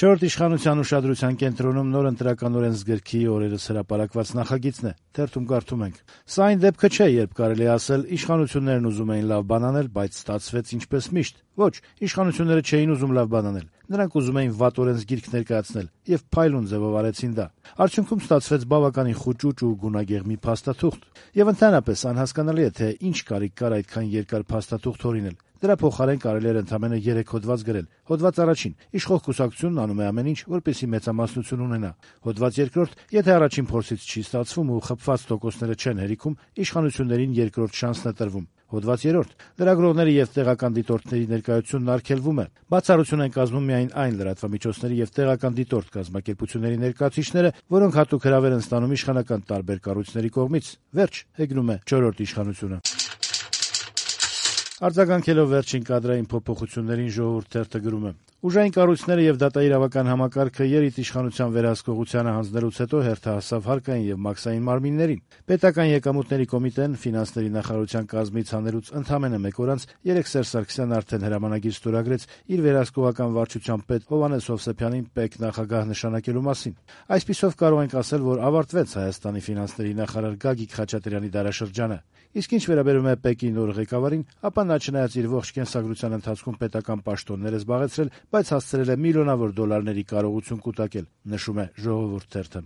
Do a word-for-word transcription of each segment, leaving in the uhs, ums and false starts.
Չորրորդ իշխանության ուշադրության կենտրոնում նոր ընտրական օրենսգրքի օրերս հրապարակված նախագիծն է։ Թերթում կարդում ենք. «Սա այն դեպքը չէ, երբ կարելի է ասել՝ իշխանություններն ուզում էին լավ բան անել, բայց ստացվեց ինչպես միշտ։ Ոչ, իշխանությունները չէին ուզում լավ բան անել։ Նրանք ուզում էին վատ օրենսգիրք ներկայացնել եւ փայլուն ձեւով արեցին դա։ Արդյունքում ստացվեց բավականին խուճուճ ու գունագեղ մի փաստաթուղթ։ Եվ ընդհանրապես անհասկանալի է, թե ինչ կարիք կար այդքան երկար փաստաթուղթ հորինել։ Դրա փոխարեն կարելի էր ընդամենը երեք հոդված գրել։ Հոդված առաջին՝ իշխող կուսակցությունն անում է ամեն ինչ, որպեսզի մեծամասնություն ունենա։ Հոդված երկրորդ՝ եթե առաջին փորձից չի ստացվում ու խփված տոկոսները չեն հերիքում, իշխանություններին երկրորդ շանսն է տրվում։ Հոդված երրորդ՝ լրագրողների եւ տեղական դիտորդների ներկայությունն արգելվում է։ Բացառություն են կազմում միայն այն լրատվամիջոցների եւ տեղական դիտորդ կազմակերպությունների ներկայացուցիչները, որոնք հատուկ հրավեր են ստանում իշխանական տարբեր կառույցների կողմից։ Վերջ, հեգնում է չորրորդ իշխանությունը»։ Արձագանքելով վերջին կադրային փոփոխություններին Ժողովուրդ թերթը գրում է. «Ուժային կառույցները եւ դատաիրավական համակարգը երիտիշխանության վերահսկողությանը հանձնելուց հետո հերթը հասավ հարկային եւ մաքսային մարմիններին։ Պետական եկամուտների կոմիտեն ֆինանսների նախարարության կազմից հանելուց ընդամենը մեկ օր անց երեկ Սերժ Սարգսյանն արդեն հրամանագիր ստորագրեց իր վերահսկողական վարչության պետ Հովհաննես Հովսեփյանին պետ նախագահ նշանակելու մասին։ Այսպիսով կարող ենք ասել, որ ավարտվեց Հայաստանի ֆինանսների նախարար Գագիկ Խաչատրյանի դարաշրջանը։ Իսկ ինչ վերաբերում է ՊԵԿ-ի նոր ղեկավարին, ապա նա չնայած իր ողջ կենսագրության ընթացքում պետական պաշտոններ է զբաղեցրել, բայց հասցրել է միլիոնավոր դոլարների կարողություն կուտակել», նշում է Ժողովուրդ թերթը։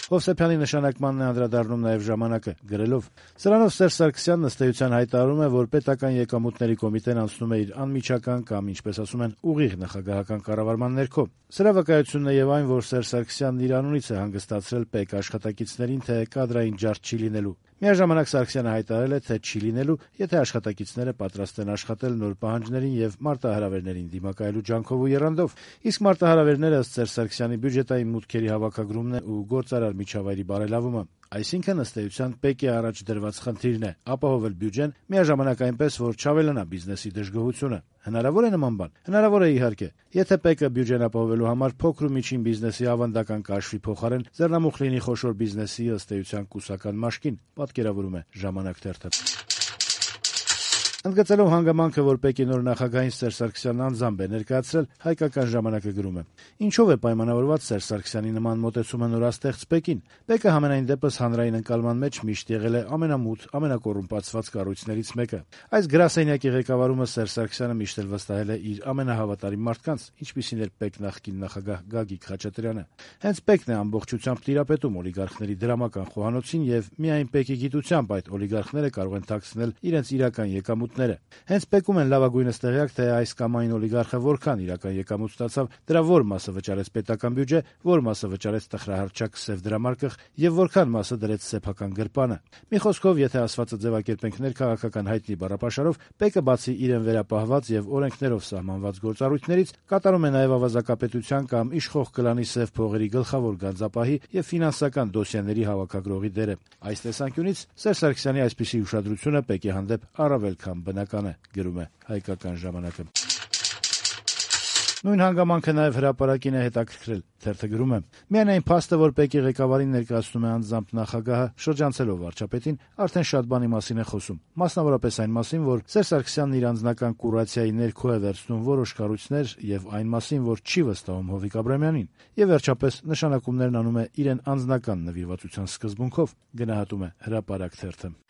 Հովսեփյանի նշանակմանն է անդրադառնում նաև «Ժամանակ»-ը, գրելով. «Սրանով Սերժ Սարգսյանն ըստ էության հայտարարում է, որ պետական եկամուտների կոմիտեն անցնում է իր անմիջական կամ, ինչպես ասում են, ուղիղ նախագահական կառավարման ներքո։ Սրա վկայությունն է եւ այն, որ Սերժ Սարգսյանն իր անունից է հանգստացրել ՊԵԿ աշխատակիցներին, թե կադրային ջարդ չի լինելու։ Միաժամանակ Սարգսյանը հայտարարել է, թե չի լինելու, եթե աշխատակիցները պատրաստ են աշխատել նոր պահանջներին եւ մարտահրավերներին դիմակայելու ջանքով ու եռանդով։ Իսկ մարտահրավերները ըստ Սերժ Սարգսյանի բյուջետային մուտքերի հավաքագրումն է ու գործարար միջավայրի բարելավումը։ Այսինքն ըստ էության ՊԵԿ-ի առաջ դրված խնդիրն է ապահովել բյուջեն, միաժամանակ այնպես, որ չավելանա բիզնեսի դժգոհությունը։ Հնարավոր է նման բան։ Հնարավոր է, իհարկե, եթե ՊԵԿ-ը բյուջեն ապահովելու համար փոքր ու միջին բիզնեսի ավանդական կաշվի փոխարեն ձեռնամուխ լինի խոշոր բիզնեսի ըստ էության կուսական մաշկին, պատկերավորում է «Ժամանակ» թերթը։ Ընդգծելով հանգամանքը, որ ՊԵԿ-ի նոր նախագահին Սերժ Սարգսյանն անձամբ է ներկայացրել, «Հայկական ժամանակ»-ը գրում է. «Ինչով է պայմանավորված Սերժ Սարգսյանի նման մոտեցումը նորաստեղծ ՊԵԿ-ին։ ՊԵԿ-ը համենայն դեպս հանրային ընկալման մեջ միշտ եղել է ամենամութ, ամենակոռումպացված կառույցներից մեկը։ Այս գրասենյակի ղեկավարումը Սերժ Սարգսյանը միշտ էլ վստահել է իր ամենահավատարիմ մարդկանց, ինչպիսին էր ՊԵԿ նախկին նախագահ Գագիկ Խաչատրյանը։ Հենց ՊԵԿ-ն է ամբողջությամբ տիրապետում օլիգարխների դրամական խոհանոցին եւ միայն ՊԵԿ-ի գիտությամբ այդ օլիգարխները կարող են թաքցնել իրենց իրական եկամուտները։ Հենց ՊԵԿ-ում են լավագույնս տեղյակ, թե այս կամ այն օլիգարխը որքան իրական եկամուտ ստացավ, դրա որ մասը վճարեց պետական բյուջե, որ մասը վճարեց տխրահարճակ սև դրամարկղ եւ որքան մասը դրեց սեփական գրպանը։ Մի խոսքով, եթե ասվածը ձևակերպենք ներքաղաքական հայտնի բառապաշարով, ՊԵԿ-ը բացի իրեն վերապահված եւ օրենքներով սահմանված գործառույթներից, կատարում է նաեւ ավազակապետության կամ իշխող կլանի սև փողերի գլխավոր գանձապահի եւ ֆինանսական դոսիեների հավաքագրողի դերը։ Այս տեսանկյունից Սերժ Սարգսյանի այսպիսի ուշադրությունը ՊԵԿ-ի հանդեպ առավել քան բնական է, գրում է «Հայկական ժամանակ»-ը։ Նույն հանգամանքը նաև հրապարակին է հետաքրքրել։ Թերթը գրում է. «Միայն այն փաստը, որ ՊԵԿ-ի ղեկավարին ներկայացնում է անձամբ նախագահը, շրջանցելով վարչապետին, արդեն շատ բանի մասին է խոսում։ Մասնավորապես այն մասին, որ Սերժ Սարգսյանն իր անձնական կուրացիայի ներքո է վերցնում որոշ կառույցներ եւ այն մասին, որ չի վստահում Հովիկ Աբրամյանին։ Եվ վերջապես նշանակումներն անում է իրեն անձնական նվիրվածության սկզբունքով», գնահատում է Հրապարակ թերթը։